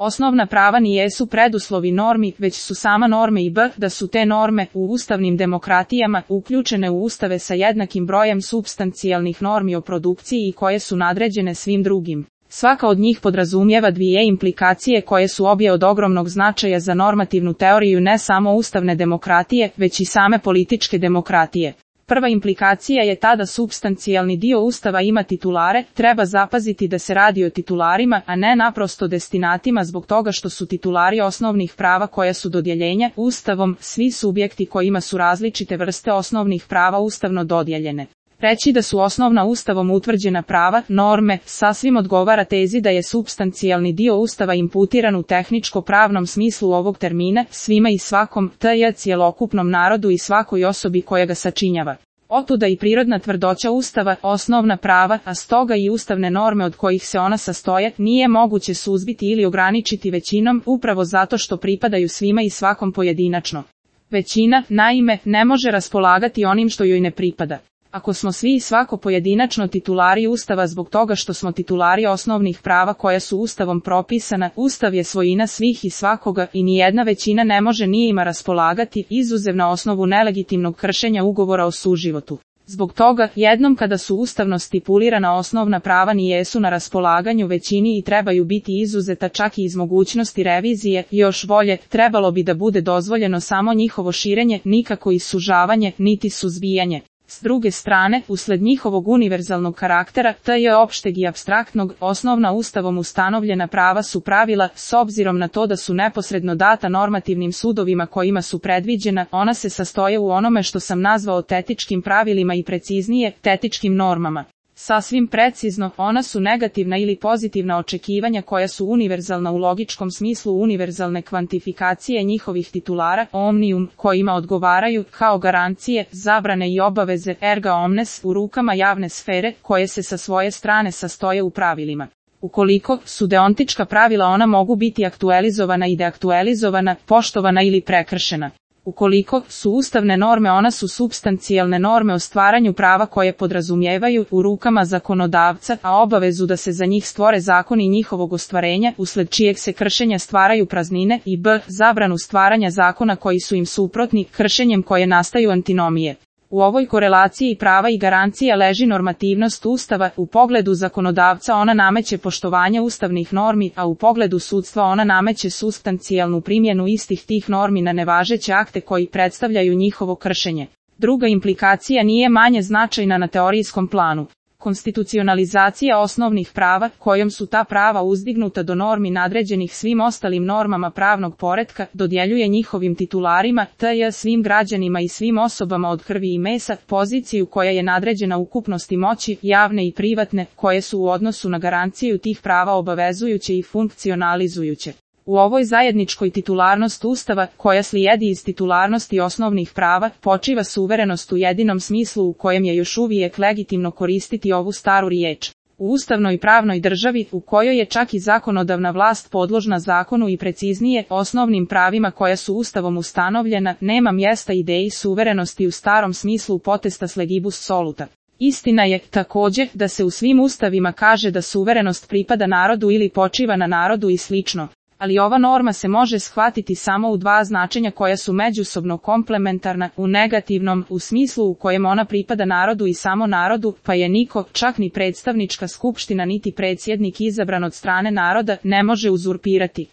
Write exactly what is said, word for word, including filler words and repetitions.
Osnovna prava ni jesu preduslovi normi, već su sama norme i b, da su te norme u ustavnim demokratijama uključene u ustave sa jednakim brojem supstancijalnih normi o produkciji i koje su nadređene svim drugim. Svaka od njih podrazumijeva dvije implikacije koje su obje od ogromnog značaja za normativnu teoriju ne samo ustavne demokratije, već i same političke demokratije. Prva implikacija je ta da supstancijalni dio Ustava ima titulare, treba zapaziti da se radi o titularima, a ne naprosto destinatima zbog toga što su titulari osnovnih prava koja su dodjeljenja Ustavom, svi subjekti kojima su različite vrste osnovnih prava ustavno dodijeljene. Reći da su osnovna Ustavom utvrđena prava, norme, sasvim odgovara tezi da je supstancijalni dio Ustava imputiran u tehničko-pravnom smislu ovog termina, svima i svakom, tj. cjelokupnom narodu i svakoj osobi koja ga sačinjava. Otuda i prirodna tvrdoća Ustava, osnovna prava, a stoga i ustavne norme od kojih se ona sastoje, nije moguće suzbiti ili ograničiti većinom, upravo zato što pripadaju svima i svakom pojedinačno. Većina, naime, ne može raspolagati onim što joj ne pripada. Ako smo svi i svako pojedinačno titulari Ustava zbog toga što smo titulari osnovnih prava koja su Ustavom propisana, Ustav je svojina svih i svakoga i nijedna većina ne može ni ima raspolagati, izuzev na osnovu nelegitimnog kršenja ugovora o suživotu. Zbog toga, jednom kada su ustavno stipulirana osnovna prava ni jesu na raspolaganju većini i trebaju biti izuzeta čak i iz mogućnosti revizije, još bolje, trebalo bi da bude dozvoljeno samo njihovo širenje, nikako i sužavanje, niti suzbijanje. S druge strane, usled njihovog univerzalnog karaktera, tj. opšteg i apstraktnog, osnovna Ustavom ustanovljena prava su pravila, s obzirom na to da su neposredno data normativnim sudovima kojima su predviđena, ona se sastoje u onome što sam nazvao tetičkim pravilima i preciznije, tetičkim normama. Sasvim precizno, ona su negativna ili pozitivna očekivanja koja su univerzalna u logičkom smislu univerzalne kvantifikacije njihovih titulara, omnium, kojima odgovaraju, kao garancije, zabrane i obaveze, erga omnes, u rukama javne sfere, koje se sa svoje strane sastoje u pravilima. Ukoliko su deontička pravila ona mogu biti aktualizovana i deaktualizovana, poštovana ili prekršena. Ukoliko su ustavne norme ona su supstancijalne norme o stvaranju prava koje podrazumijevaju u rukama zakonodavca, a obavezu da se za njih stvore zakoni njihovog ostvarenja, usled čijeg se kršenja stvaraju praznine i b. zabranu stvaranja zakona koji su im suprotni, kršenjem koje nastaju antinomije. U ovoj korelaciji prava i garancija leži normativnost Ustava, u pogledu zakonodavca ona nameće poštovanje ustavnih normi, a u pogledu sudstva ona nameće supstancijalnu primjenu istih tih normi na nevažeće akte koji predstavljaju njihovo kršenje. Druga implikacija nije manje značajna na teorijskom planu. Konstitucionalizacija osnovnih prava, kojom su ta prava uzdignuta do normi nadređenih svim ostalim normama pravnog poretka, dodjeljuje njihovim titularima, tj. svim građanima i svim osobama od krvi i mesa, poziciju koja je nadređena ukupnosti moći, javne i privatne, koje su u odnosu na garanciju tih prava obavezujuće i funkcionalizujuće. U ovoj zajedničkoj titularnost Ustava, koja slijedi iz titularnosti osnovnih prava, počiva suverenost u jedinom smislu u kojem je još uvijek legitimno koristiti ovu staru riječ. U ustavnoj pravnoj državi, u kojoj je čak i zakonodavna vlast podložna zakonu i preciznije, osnovnim pravima koja su Ustavom ustanovljena, nema mjesta ideji suverenosti u starom smislu potestas legibus soluta. Istina je, također, da se u svim ustavima kaže da suverenost pripada narodu ili počiva na narodu i slično. Ali ova norma se može shvatiti samo u dva značenja koja su međusobno komplementarna, u negativnom, u smislu u kojem ona pripada narodu i samo narodu, pa je niko, čak ni predstavnička skupština niti predsjednik izabran od strane naroda, ne može uzurpirati.